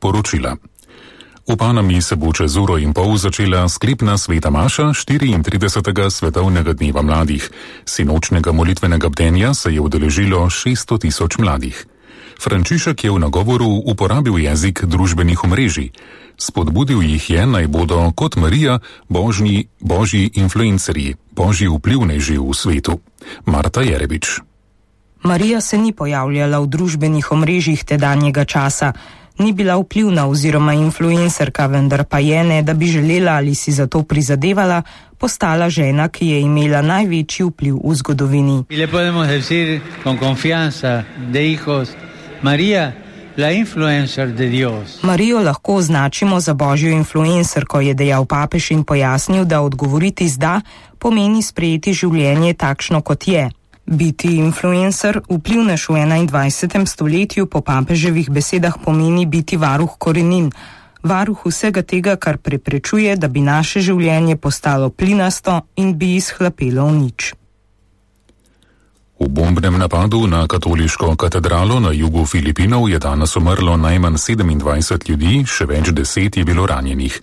poročila. V Panami se bo čez uro in pol začela sklepna sveta maša 34. svetovnega dneva mladih. Sinočnega molitvenega bdenja se je udeležilo 600 000 mladih. Frančišek je v nagovoru uporabil jezik družbenih omrežij. Spodbudil jih je, naj bodo kot Marija božji influencerji, božji vplivneži v svetu. Marta Jerebič. Marija se ni pojavljala v družbenih omrežjih tedanjega časa. Ni bila vplivna oziroma influencerka, vendar pa je, ne da bi želela ali si za to prizadevala, postala žena, ki je imela največji vpliv v zgodovini. Le podemos decir con confianza de hijos, María, la influencer de Dios. Marijo lahko označimo za božjo influencerko, je dejal papež in pojasnil, da odgovoriti z da pomeni sprejeti življenje takšno, kot je. Biti influencer, vplivnež v 21. stoletju, po papeževih besedah pomeni biti varuh korenin, varuh vsega tega, kar preprečuje, da bi naše življenje postalo plinasto in bi izhlapelo v nič. V bombnem napadu na katoliško katedralo na jugu Filipinov je danes umrlo najmanj 27 ljudi, še več 10 je bilo ranjenih.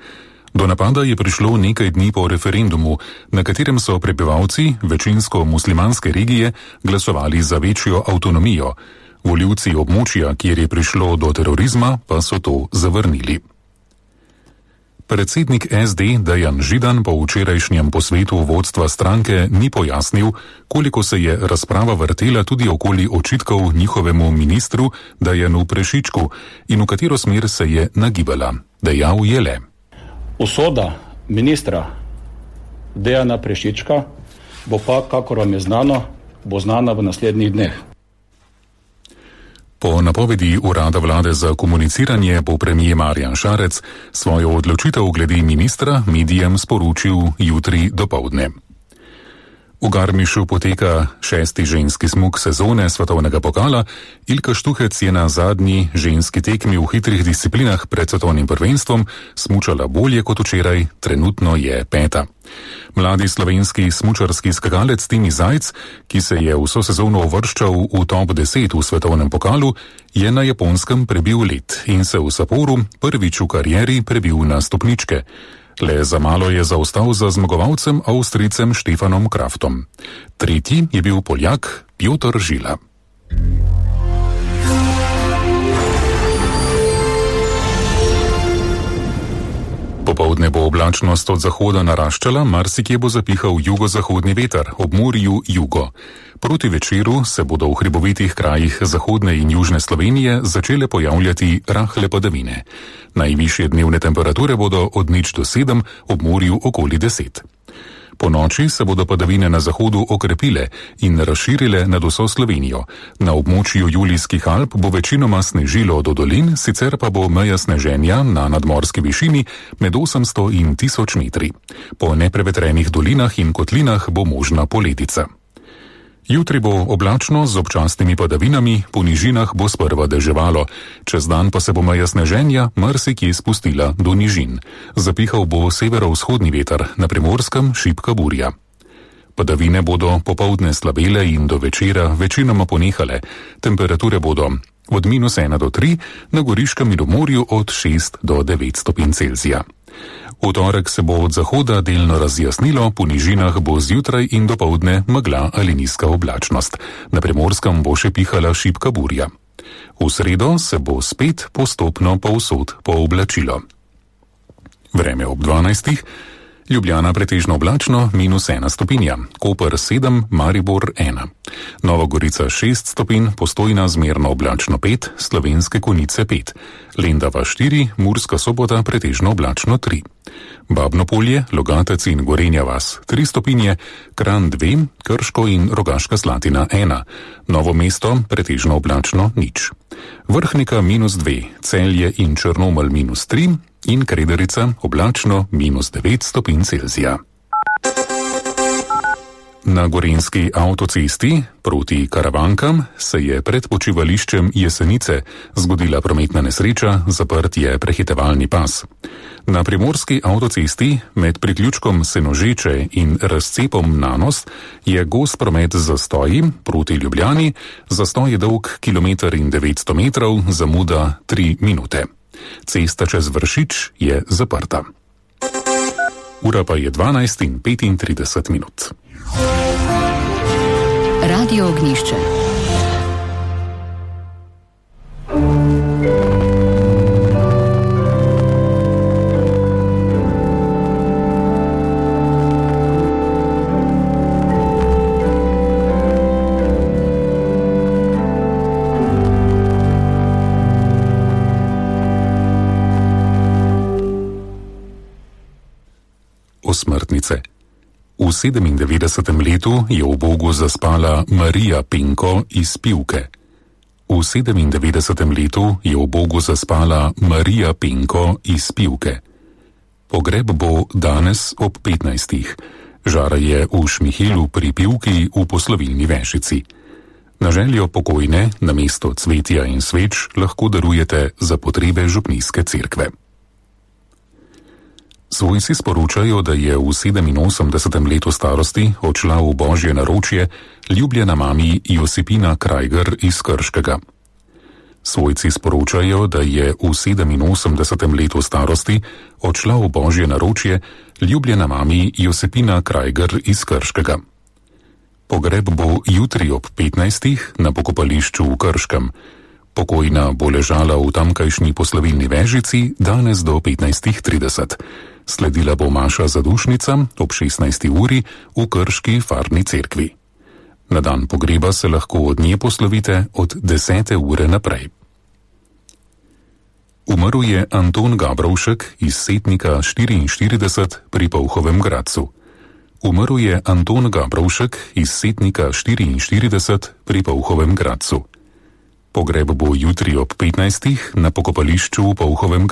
Do napada je prišlo nekaj dni po referendumu, na katerem so prebivalci večinsko muslimanske regije glasovali za večjo avtonomijo. Volivci območja, kjer je prišlo do terorizma, pa so to zavrnili. Predsednik SD Dejan Židan po včerajšnjem posvetu vodstva stranke ni pojasnil, koliko se je razprava vrtela tudi okoli očitkov njihovemu ministru Dejanu Prešičku in v katero smer se je nagibala. Dejal je le: Usoda ministra Dejana Prešička bo pa, kakor vam je znano, bo znana v naslednjih dneh. Po napovedi Urada vlade za komuniciranje bo premier Marjan Šarec svojo odločitev glede ministra medijem sporočil jutri dopoldne. V Garmišu poteka 6. ženski smuk sezone svetovnega pokala. Ilka Štuhec je na zadnji ženski tekmi v hitrih disciplinah pred svetovnim prvenstvom smučala bolje kot včeraj, trenutno je 5. Mladi slovenski smučarski skakalec Timi Zajc, ki se je vso sezono uvrščal v top 10 v svetovnem pokalu, je na Japonskem prebil led in se v Sapporu prvič v karieri prebil na stopničke. Le za malo je zaostal za zmagovalcem Avstrijcem Štefanom Kraftom. Tretji je bil Poljak Piotr Žila. Popoldne bo oblačnost od zahoda naraščala, marsikje bo zapihal jugozahodni veter, ob morju jugo. Proti večeru se bodo v hribovitih krajih zahodne in južne Slovenije začele pojavljati rahle padavine. Najvišje dnevne temperature bodo od 0 do 7, ob morju okoli 10. Po noči se bodo padavine na zahodu okrepile in razširile nad vso Slovenijo. Na območju Julijskih Alp bo večinoma snežilo do dolin, sicer pa bo meja sneženja na nadmorski višini med 800 in 1000 metri. Po neprevetrenih dolinah in kotlinah bo možna poledica. Jutri bo oblačno z občasnimi padavinami, po nižinah bo sprva deževalo. Čez dan pa se bo meja sneženja marsikje spustila do nižin. Zapihal bo severovzhodni veter, na Primorskem šibka burja. Padavine bodo popoldne slabele in do večera večinoma ponehale. Temperature bodo od -1 do 3, na Goriškem in v morju od 6 do 9 stopinj Celzija. V torek se bo od zahoda delno razjasnilo, po nižinah bo zjutraj in dopoldne megla ali nizka oblačnost. Na Primorskem bo še pihala šibka burja. V sredo se bo spet postopno povsod pooblačilo. Vreme ob 12. Ljubljana pretežno oblačno, -1 stopinja, Koper 7, Maribor 1. Nova Gorica 6 stopinj, Postojna zmerno oblačno 5, Slovenske Konjice 5. Lendava 4, Murska Sobota pretežno oblačno 3. Babno Polje, Logatec in Gorenja vas 3 stopinje, Kranj 2, Krško in Rogaška Slatina 1. Novo mesto pretežno oblačno 0. Vrhnika -2, Celje in Črnomelj -3 in Krederica oblačno -9 stopinj Celzija. Na Gorenjski avtocesti proti Karavankam se je pred počivališčem Jesenice zgodila prometna nesreča, zaprt je prehitevalni pas. Na Primorski avtocesti med priključkom Senožeče in razcepom Nanos je gost promet z zastoji proti Ljubljani, zastoj je dolg 1,9 km, zamuda 3 minute. Cesta čez Vršič je zaprta. Ura pa je 12:35. Radio Ognjišče. Osmrtnice. V 97. letu je v Bogu zaspala Marija Penko iz Pivke. V 97. letu je v Bogu zaspala Marija Penko iz Pivke. Pogreb bo danes ob 15. Žara je v Šmihilu pri Pivki v poslovilni Vešici. Na željo pokojne namesto cvetja in sveč lahko darujete za potrebe župnijske cerkve. Svojci sporočajo, da je v 87. letu starosti odšla v božje naročje ljubljena mami Josipina Krajger iz Krškega. Svojci sporočajo, da je v 87. letu starosti odšla v božje naročje ljubljena mami Josipina Krajger iz Krškega. Pogreb bo jutri ob 15. na pokopališču v Krškem. Pokojna bo ležala v tamkajšnji poslovilni Vežici danes do 15:30. Sledila bo maša zadušnica ob 16. uri v Krški farni cerkvi. Na dan pogreba se lahko od nje poslovite od 10. ure naprej. Umrl je Anton Gabrovšek iz Setnika 44 pri Polhovem Gradcu. Umrl je Anton Gabrovšek iz Setnika 44 pri Polhovem Gradcu. Pogreb bo jutri ob 15. na pokopališču v Polhovem